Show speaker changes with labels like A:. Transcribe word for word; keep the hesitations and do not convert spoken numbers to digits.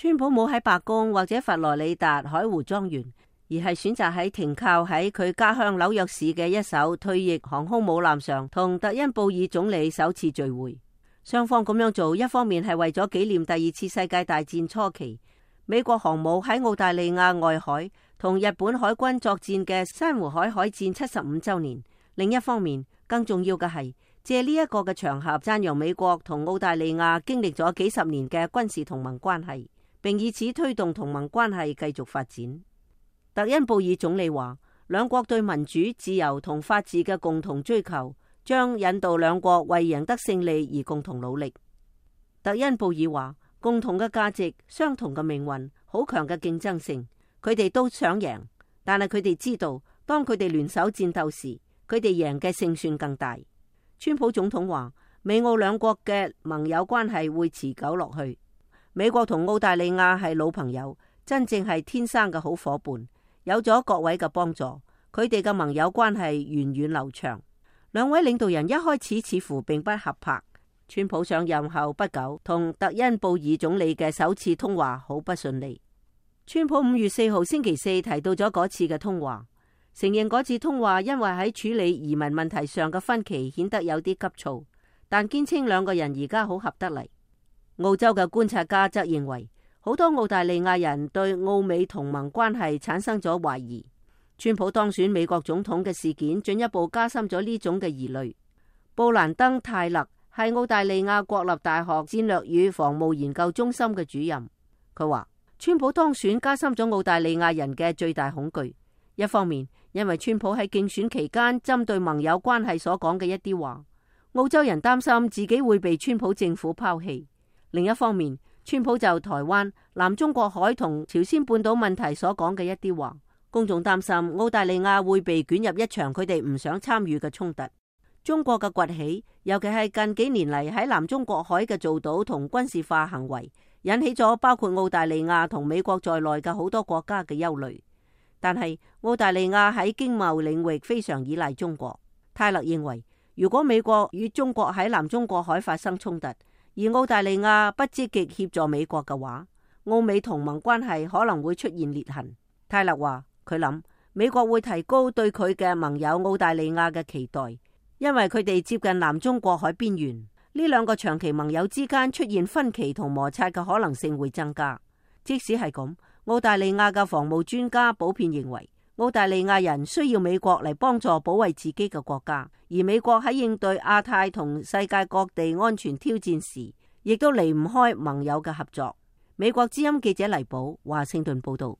A: 川普冇喺白宮或者佛羅里達海湖莊園，而係選擇喺停靠喺佢家鄉紐約市嘅一艘退役航空母艦上，同特恩布爾總理首次聚會。雙方咁樣做，一方面係為咗紀念第二次世界大戰初期美國航母喺澳大利亞外海同日本海軍作戰嘅珊瑚海海戰七十五週年；另一方面，更重要嘅係借呢一個嘅場合讚揚美國同澳大利亞經歷咗幾十年嘅軍事同盟關係，並以此推動同盟關係繼續發展。特恩布爾總理話，兩國對民主、自由同法治嘅共同追求，將引導兩國為贏得勝利而共同努力。特恩布爾話，共同嘅價值、相同嘅命運、好強嘅競爭性，佢哋都想贏，但係佢哋知道，當佢哋聯手戰鬥時，佢哋贏嘅勝算更大。川普總統話，美澳兩國嘅盟友關係會持久落去。美國同澳大利亞係老朋友，真正係天生嘅好夥伴，有咗各位嘅幫助，佢哋嘅盟友關係源遠流長。兩位領導人一開始似乎並不合拍。川普上任後不久，同特恩布爾總理嘅首次通話好不順利。川普五月四號星期四提到咗嗰次嘅通話，承認嗰次通話因為喺處理移民問題上嘅分歧顯得有啲急躁，但堅稱兩個人而家好合得嚟。澳洲嘅觀察家則認為，好多澳大利亞人對澳美同盟關係產生咗懷疑。川普當選美國總統嘅事件進一步加深咗呢種嘅疑慮。布蘭登泰勒係澳大利亞國立大學戰略與防務研究中心嘅主任，佢話川普當選加深咗澳大利亞人嘅最大恐懼。一方面，因為川普喺競選期間針對盟友關係所講嘅一啲話，澳洲人擔心自己會被川普政府拋棄；另一方面，川普就台灣、南中國海同朝鮮半島問題所講嘅一啲話，公眾擔心澳大利亞會被捲入一場佢哋唔想參與嘅衝突。中國嘅崛起，尤其係近幾年嚟喺南中國海嘅造島同軍事化行為，引起咗包括澳大利亞同美國在內嘅好多國家嘅憂慮。但係澳大利亞喺經貿領域非常依賴中國。泰勒認為，如果美國與中國喺南中國海發生衝突，而澳大利亞不積極協助美國嘅話，澳美同盟關係可能會出現裂痕。泰勒話，佢諗美國會提高對佢嘅盟友澳大利亞嘅期待，因為佢哋接近南中國海邊緣，呢兩個長期盟友之間出現分歧同摩擦嘅可能性會增加。即使係咁，澳大利亞嘅防務專家普遍認為，澳大利亞人需要美國嚟幫助保衛自己嘅國家，而美國喺應對亞太同世界各地安全挑戰時，亦都離唔開盟友嘅合作。美國之音記者黎寶，華盛頓報道。